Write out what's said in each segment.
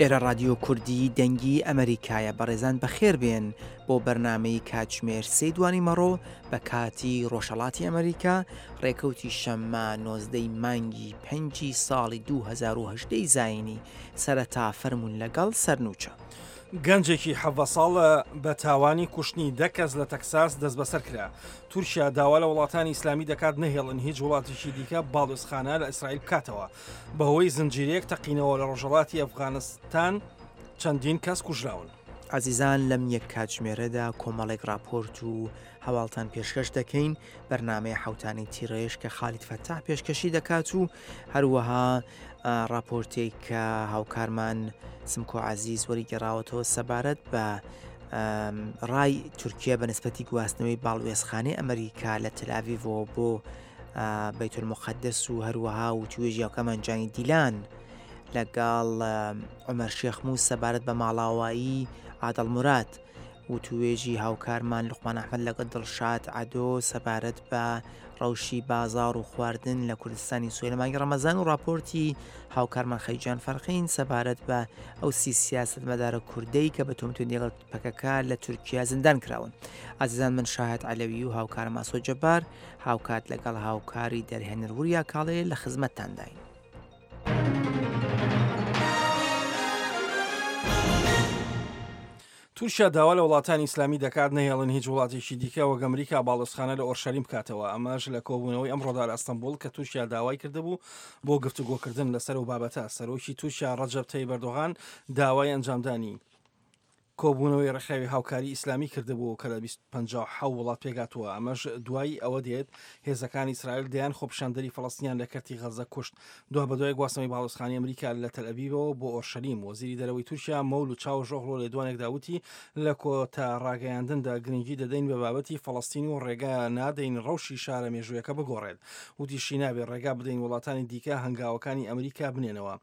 ئێرە ڕادیۆ کوردی دەنگی ئەمەریکایە بەڕێزان بەخێر بێن بۆ بەرنامەی کاتژمێر سێ دوانی مەڕۆ بە کاتی ڕۆژهەڵاتی ئەمریکا ڕێکەوتی شەممە نۆزدەی مانگی پەنجی ساڵی 2010 زایینی سەرەتا فەرموون لەگەڵ سەرنوچە. گەنجێکی 17 ساڵ بە تاوانی کوشتنی دە کەس لە تەکساس دەستبەسەر کرا. تورکیا داوا لە وڵاتانی ئیسلامی دەکات نەهێڵن هیچ وڵاتێکی دیکە باڵیۆزخانە لە ئیسرائیل بکاتەوە. بەهۆی زنجیرەیەک تەقینەوە لە ڕۆژهەڵاتی ئەفغانستان چەندین کەس کوژراون. ئازیزان لەم یەک کاتژمێرەدا کۆمەڵێک ڕاپۆرت و هەواڵتان پێشکەش دەکەین، بەرنامەی حەوتانەی تیڕێژ کە خالید فەتاح پێشکەشی دەکات و هەروەها ڕاپۆرتێک کە هاوکارمان سمکۆ عەزیز وەریگەڕاوەتەوە سەبارەت بە ڕای تورکیا بە نسبەتی گواستنەوەی باڵوێزخانەی ئەمریکا لە تەلاڤیڤەوە بۆ بەیتولموقەدەس و هەروەها وتوێژی هاوکارمان جانی دیلان لەگەڵ عومەر شێخموس سەبارەت بە ماڵاوایی عادڵ موراد وتوێژی هاوکارمان لوقمان ئەحمەد لەگەڵ دڵشاد عەدۆ سەبارەت بە ڕەوشی بازاڕ و خواردن لە کوردستانی سوێ لە مانگی ڕەمەزان و ڕاپۆرتی هاوکارمان خەیجان فەرقین سەبارەت بە ئەو سی سیاسەتمەدارە کوردەی کە بە تۆمەتی لەگەڵ پەکەکە لە تورکیا زیندان کراون. ئازیزان من شاهد عەلەوی و هاوکارم ئاسۆ جەبار هاوکات لەگەڵ هاوکاری دەرهێنەر وریا کاڵێ لە خزمەتتانداین. تورکیا داوا لە وڵاتانی ئیسلامی دەکات نەهێڵن هیچ وڵاتێکی دیکە وەک ئەمریکا باڵۆزخانە لە ئۆرشەلیم بکاتەوە، ئەمەش لە کۆبوونەوەی ئەمڕۆدا لە ئەستەنبوڵ کە تورکیا داوای کردبوو بۆ گفتوگۆکردن لەسەر ئەو بابەتە. سەرۆکی تورکیا ڕەجەب تەیب ئەردۆغان داوای ئەنجامدانی کۆبوونەوەی ڕێکخراوی هاوکاری ئیسلامی کردبوو کە لە 57 وڵات پێکهاتووە، ئەمەش دوای ئەوە دێت هێزەکانی ئیسرائیل دەیان خۆپیشاندەری فەڵەستینیان لە کەرتی غەززە کوشت. دوابەدوای گواستنەوەی باڵیۆزخانەی ئەمریکا لە تەلئەبیبەوە بۆ ئۆرشەلیم، وەزیری دەرەوەی تورکیا مەولود چاوشئۆغڵو لە لێدوانێکدا وتی، لە کۆتا ڕاگەیاندندا گرنگی دەدەین بە بابەتی فەڵەستین و ڕێگا نادەین ڕەوشی شارە مێژوویەکە بگۆڕێت. وتیشی، نابێت ڕێگا بدەین وڵاتانی دیکە هەنگاوەکانی ئەمریکا بنێنەوە.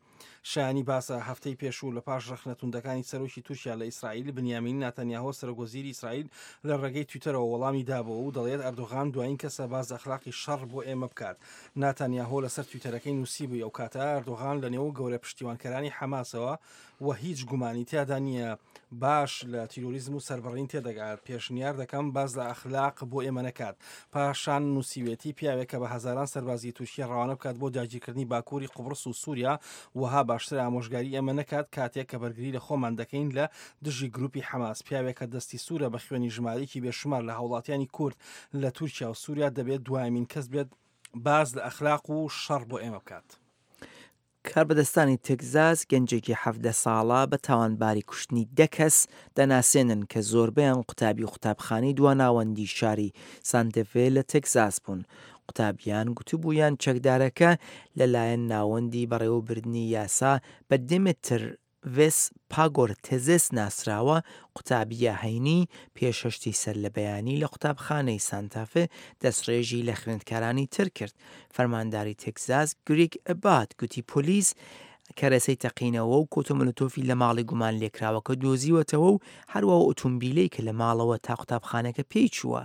شایانی باسە، هەفتەی پێشوو لە پاش ڕەخنە توندەکانی سەرۆکی تورکیا لە ئیسرائیل، بنیامین ناتانیاهۆ سەرۆکوەزیری ئیسرائیل لە ڕێگەی تویتەرەوە وەڵامی دابۆوە و دەڵێت ئەردۆغان دوایین کەسە باس لە ئەخلاقی شەڕ بۆ ئێمە بکات. ناتانیاهۆ لەسەر تویتەرەکەی نووسیبووی ئەوکاتە ئەردۆغان لەنێو گەورە پشتیوانکەرانی حەماسەوە و هیچ گومانی تیادا نییە باش لە تیرۆریزم و سەربڕین تێدەگات، پێشنیار دەکەم باس لە ئەخلاق بۆ ئێمە نەکات. پاشان نووسیوێتی پیاوێک کە بە هەزاران سەربازی تورکیە ڕەوانە بکات بۆ داگیرکردنی باکووری قوبڕس و سووریا، وەها باشترە ئامۆژگاری ئێمە نەکات کاتێک کە بەرگری لە خۆمان دەکەین لە دژی گرووپی حەماس. پیاوێک کە دەستی سوورە بە خوێنی ژمارەیەکی بێشومار لە هاوڵاتیانی کورد لە تورکیا و سووریا دەبێت دوایەمین کەس بێت باس لە ئەخلاق و شەڕ بۆ ئێمە بکات. کاربەدەستانی تێکزاس گەنجێکی 17 ساڵە بە تاوانباری کوشتنی دە کەس دەناسێنن کە زۆربەیان قوتابی قوتابخانەی دواناوەندی شاری سانتەفێ لە تێکزاس بوون. قوتابیان گوتبوویان چەکدارەکە لەلایەن ناوەندی بەڕێوەبردنی یاسا بە دێمێتر ڤێس پاگۆرتێزێس ناسراوە، قوتابییە هەینی پێش هەشتی سەرلەبەیانی لە قوتابخانەی سانتافێ دەستڕێژی لە خوێندکارانی تر کرد. فەرمانداری تێکزاس گریگ ئەبات گوتی پۆلیس کەرەسەی تەقینەوە و کۆتۆمۆلۆتۆفی لە ماڵی گومانلێکراوەکە دۆزیوەتەوە و هەروا ئەو ئۆتۆمبیلەی کە لە ماڵەوە تا قوتابخانەکە پێی چووە.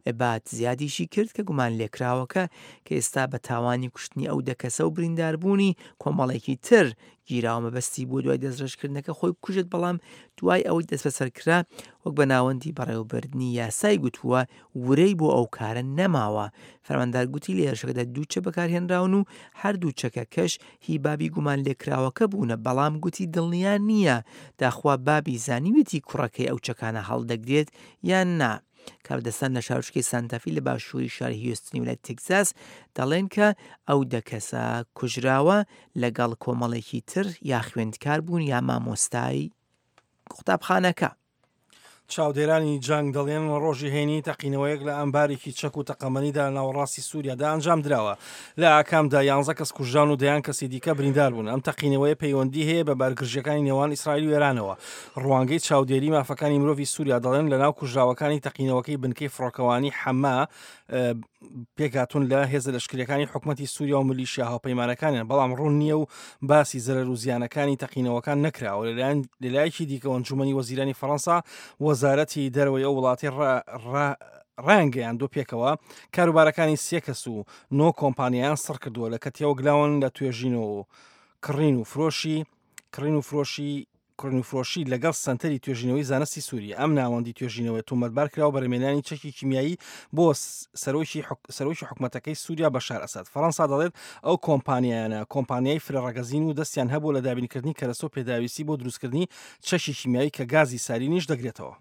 ئەبات زیادیشی کرد کە گومانلێکراوەکە کە ئێستا بە تاوانی کوشتنی ئەو دە کەسە و برینداربوونی کۆمەڵێکی تر گیراوە مەبەستی بووە دوای دەستڕێژکردنەکە خۆی بکوژێت بەڵام دوای ئەوەی دەستبەسەر کرا وەک بە ناوەندی بەڕێوەبردنی یاسای گوتووە ورەی بۆ ئەو کارە نەماوە فەرماندار گوتی لە هێرشەکەدا دوو چەک بەکارهێنراون و هەردوو چەکەکەش هی بابی گومانلێکراوەکە بوونە بەڵام گوتی دڵنیا نییە داخوا بابی زانیویەتی کوڕەکەی ئەو چەکانە هەڵدەگرێت یان نا. کاربەدەستان لە شارۆچکەی سانتافی لە باشووری شاری هیوستنی ویلایەتی تێکزاس دەڵێن کە ئەو دە کەسە کوژراوە لەگەڵ کۆمەڵێکی تر یا خوێندکار بوون یا مامۆستای قوتابخانەکە. چاودێرانی جەنگ دەڵێن ڕۆژی هەینی تەقینەوەیەک لە ئەمبارێکی چەک و تەقەمەنیدا لە ناوەڕاستی سووریادا ئەنجامدراوە. لە ئاکامدا یانزە کەس کوژران و دەیان کەسی دیکە بریندار بوون. ئەم تەقینەوەیە پەیوەندی هەیە بە بارگرژییەکانی نێوان ئیسرائیل و ئێرانەوە. ڕوانگەی چاودێری مافەکانی مرۆڤی سووریا دەڵێن لەناو کوژراوەکانی تەقینەوەکەی بنکەی فڕۆکەوانی حەما پێکهاتوون لە هێزە لەشکریەکانی حکومەتی سووریا و ملیشیا هاوپەیمانەکانیان بەڵام ڕوون نییە و باسی زەرەر و زیانەکانی تەقینەوەکان نەکراوە لەلایەن لەلایەکی دیکەوە ئەنجومەنی وەزیرانی فەڕەنسا وەزارەتی دەرەوەی ئەو وڵاتی ڕایانگەیاندوە پێکەوە کاروبارەکانی سێ کەس و نۆ کۆمپانیایان سڕ کردووە لە کە تێوەگلاون لە توێژینەوە و کڕین و فرۆشی کڕین و فرۆشی. کڕین و فرۆشی لەگەڵ سەنتەری توێژینەوەی زانستی سووری. ئەم ناوەندی توێژینەوەیە تۆمەتبار کراوە بە رمێنانی چەکی کیمیایی بۆ سەرۆکی سەرۆکی حکومەتەکەی سووریا بەشار ئەسەد. فەڕەنسا دەڵێت ئەو کۆمپانیایانە کۆمپانیای فرە ڕەگەزین و دەستیان هەبووە لە دابینکردنی کەرەستە و پێداویستی بۆ دروستکردنی چەکی کیمیایی کە گازی سارینیش دەگرێتەوە.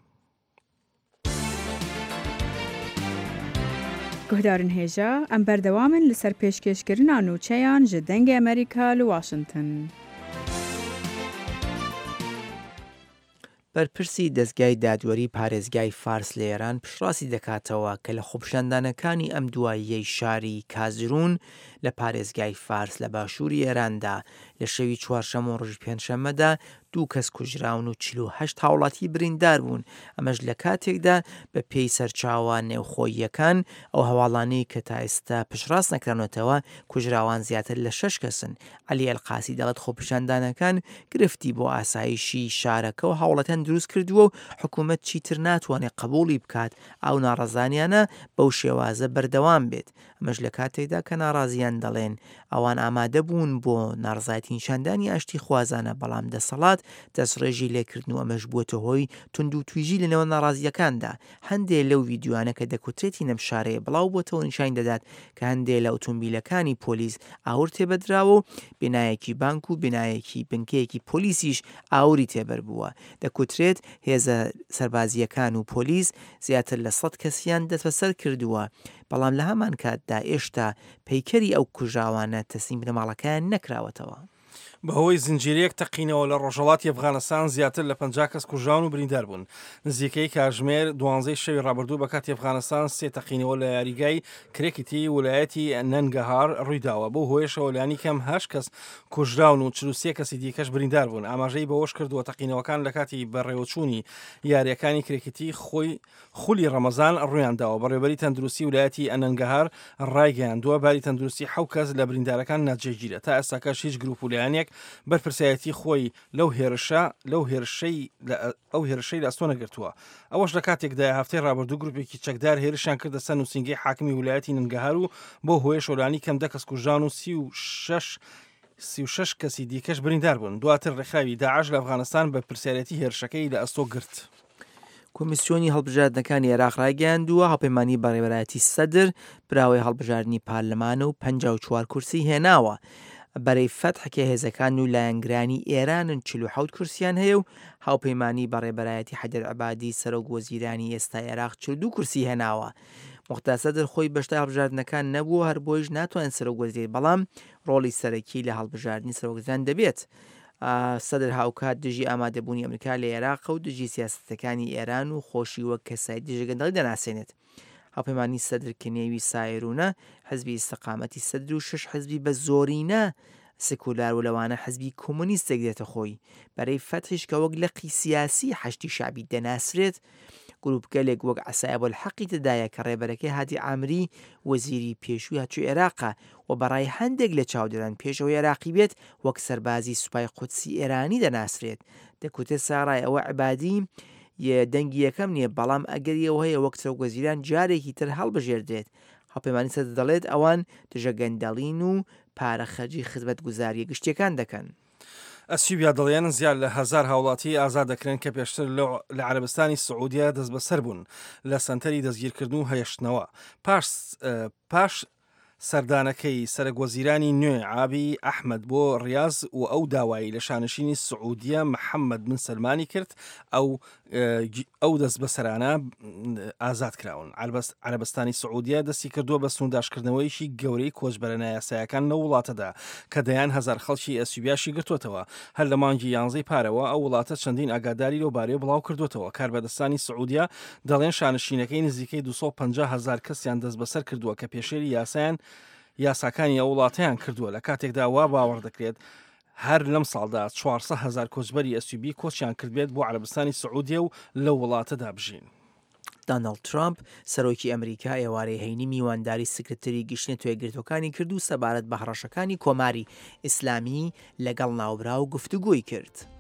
Guhdarên hêja, em berdewam in li ser pêşkêşkirina nûçeyan ji Dengê Amerîka li Washington. بەرپرسی دەزگای دادوەری پارێزگای فارس لە ئێران پشتڕاستی دەکاتەوە کە لە خۆپیشاندانەکانی ئەم دواییەی شاری کازرون لە پارێزگای فارس لە باشووری ئێراندا لە شەوی چوارشەممە و ڕۆژی پێنجشەممەدا دوو کەس کوژراون و 48 هاوڵاتی بریندار بوون، ئەمەش لە کاتێکدا بە پێی سەرچاوە نێوخۆییەکان ئەو هەواڵانەی کە تا ئێستا پشتڕاست نەکراونەتەوە کوژراوان زیاتر لە شەش کەسن. عەلی ئەلقاسی دەڵێت خۆپیشاندانەکان گرفتی بۆ ئاسایشی شارەکە و هاوڵاتیان دروست کردووە و حکومەت چیتر ناتوانێت قبوڵی بکات ئەو ناڕەزانیانە بەو شێوازە بەردەوام بێت. ئەمەش لە کاتێکدا کە ناڕازیان دەڵێن ئەوان ئامادە بوون بۆ ناڕەزایەتی نیشاندانی ئاشتیخوازانە، بەڵام دەسەڵات دەستڕێژی لێکردن و ئەمەش بووەتە هۆی توندوتیژی لە نێوان ناڕازییەکاندا. هەندێ لەو ڤیدیۆیانە کە دەکوترێت هی لەم شارەیە بڵاو بۆتەوە نیشانی دەدات کە هەندێ لە ئوتومبیلەکانی پۆلیس ئاور تێبەردراوە و بینایەکی بانک و بینایەکی بنکەیەکی پۆلیسیش ئاوری تێبەربووە. دەکوترێت هێزە سەربازییەکان و پۆلیس زیاتر لە سەد کەسیان دەستبەسەر کردووە، بەڵام لە هەمانکاتدا ئێشتا پەیکەری ئەو کوژراوانە تەسلیم بنەماڵەکەیان نەکراوەتەوە. بەهۆی زنجیرەیەک تەقینەوە لە ڕۆژهەڵاتی ئەفغانستان زیاتر لە 50 کەس کوژراون و بریندار بوون. نزیکەی کاژمێر دوانزەی شەوی ڕابردوو بە کاتی ئەفغانستان سێ تەقینەوە لە یاریگای کرێکیتی ولایەتی نەنگەهار ڕوویداوە، بەو هۆیەشەوە لانیکەم هەشت کەس کوژراون و 43 کەسی دیکەش بریندار بوون. ئاماژەی بەوەشکردووە، تەقینەوەکان لە کاتی بەڕێوەچوونی یارییەکانی کرێکیتی خۆی خولی ڕەمەزان ڕوویانداوە، بەڕێوەبەری تەندروستی ولایەتی ئەنەنگەهار ڕایگەیاندووە، باری تەندروستی حەو کەس لە بریندارەکان ناجێگیرە، تا ئێستاکەش هیچ گروپ و لایەنێک بەرپرسیارێتی خۆی لەو هێرشە لەو هێرشەی لە ئەو هێرشەی لە ئەستۆ نەگرتووە. ئەوەش لە کاتێکدایە هەفتەی ڕابردوو گروپێکی چەکدار هێرشیان کردە سەر نووسینگەی حاکمی ولایەتی ننگەهار و بەو هۆیەشەوە لانیکەم دە کەس کوژران و 36 36 کەسی دیکەش بریندار بوون. دواتر ڕێکخراوی داعش لە ئەفغانستان بەرپرسیارێتی هێرشەکەی لە ئەستۆ گرت. کۆمیسیۆنی هەڵبژاردنەکانی عێراق ڕایگەیاندووە، هاوپەیمانیی بەڕێوەبەرایەتی سەدر براوەی هەڵبژاردنی پارلەمانە و 54 کورسی هێناوە. بەرەی فەتح کە هێزەکان و لایەنگرانی ئێرانن 47 کورسیان هەیە و هاوپەیمانیی بەڕێبەرایەتی حەیدەر عەبادی سەرۆک وەزیرانی ئێستای عێراق 42 کورسی هێناوە. موقتەدا سەدر خۆی بەشداری هەڵبژاردنەکان نەبووە هەربۆیش ناتوانێت سەرۆک وەزیر بەڵام ڕۆڵی سەرەکی لە هەڵبژاردنی سەرۆکوەزیران دەبێت. سەدر هاوکات دژی ئامادەبوونی ئەمریکا لە ئێراقە و دژی سیاسەتەکانی ئێران و خۆشی وەک کەسایەتی دژە گەندەڵی دەناسێنێت. هاوپەیمانی سەدر کە نێوی سایرونە، حزبی ئیستقامەتی سەدر و شەش حزبی بە زۆرینە سکولار و لەوانە حزبی کۆمۆنیست دەگرێتە خۆی. بەرەی فەتحیش کە وەک لقی سیاسی حەشدی شەعبی دەناسرێت، گروپگەلێک وەک عەسائب الحەقی تێدایە کە ڕێبەرەکەی هادی عامری وەزیری پێشووی هاتوچۆی عێراقە و بە ڕای هەندێک لە چاودێران پێش ئەوەی عێراقی بێت وەک سەربازی سوپای قودسی ئێرانی دەناسرێت. دەکوترێت سەرەڕای ئەوە عەبادی دەنگی یەکەم نییە بەڵام ئەگەری ئەوە هەیە وەک سەرۆکوەزیران جارێکی تر هەڵبژێردرێت. هاوپەیمانی سەدر دەڵێت ئەوان دژە گەندەڵین و پارە خەرجی خزمەتگوزارییە گشتییەکان دەکەن. ئەسیوبیا دەڵێن زیاد لە هەزار هاوڵاتی ئازاد دەکرێن کە پێشتر لە عەرەبستانی سعودیە دەستبەسەر بوون لە سەنتەری دەستگیرکردن و هێشتنەوە پاش پاش سەردانەکەی سەرەک وەزیرانی نوێ ئابی ئەحمد بۆ ڕاز و ئەو داوایی لە شانشینی سعودیە محەممەد بن سەلمانی کرد ئەو ئەو دەستبەسەرانە ئازاد کراون. عەرەبستانی سعودیە دەستی کردووە بە سنوورداشکردنەوەیەکی گەورەی کۆچبەرە نایاسایەکان لەو وڵاتەدا کە دەیان هەزار خەڵکی ئەسیوبیاشی گرتووەتەوە. هەر لە مانگی یانزەی پارەوە ئەو وڵاتە چەندین ئاگاداری لەو بارەیەوە بڵاو کردووەتەوە. کاربەدەستانی سعودیە دەڵێن شانشینەکەی نزیکەی 250 هەزار کەسیان دەستبەسەر کردووە کە پێشێلی یاسایان یاساکانی ئەو وڵاتەیان کردووە لە کاتێکدا وا باوەڕ دەکرێت هەر لەم ساڵدا 400 هەزار کۆچبەری ئەسیوبی کۆچیان کردبێت بۆ عەرەبستانی سعودیە و لەو وڵاتەدا بژین. داناڵد ترامپ، سەرۆکی ئەمریکا ئێوارەی هەینی میوانداری سکرتێری گشتی نەتەوە یەکگرتووەکانی کرد و سەبارەت بە هەڕەشەکانی کۆماری ئیسلامی لەگەڵ ناوبراو گفتوگۆی کرد.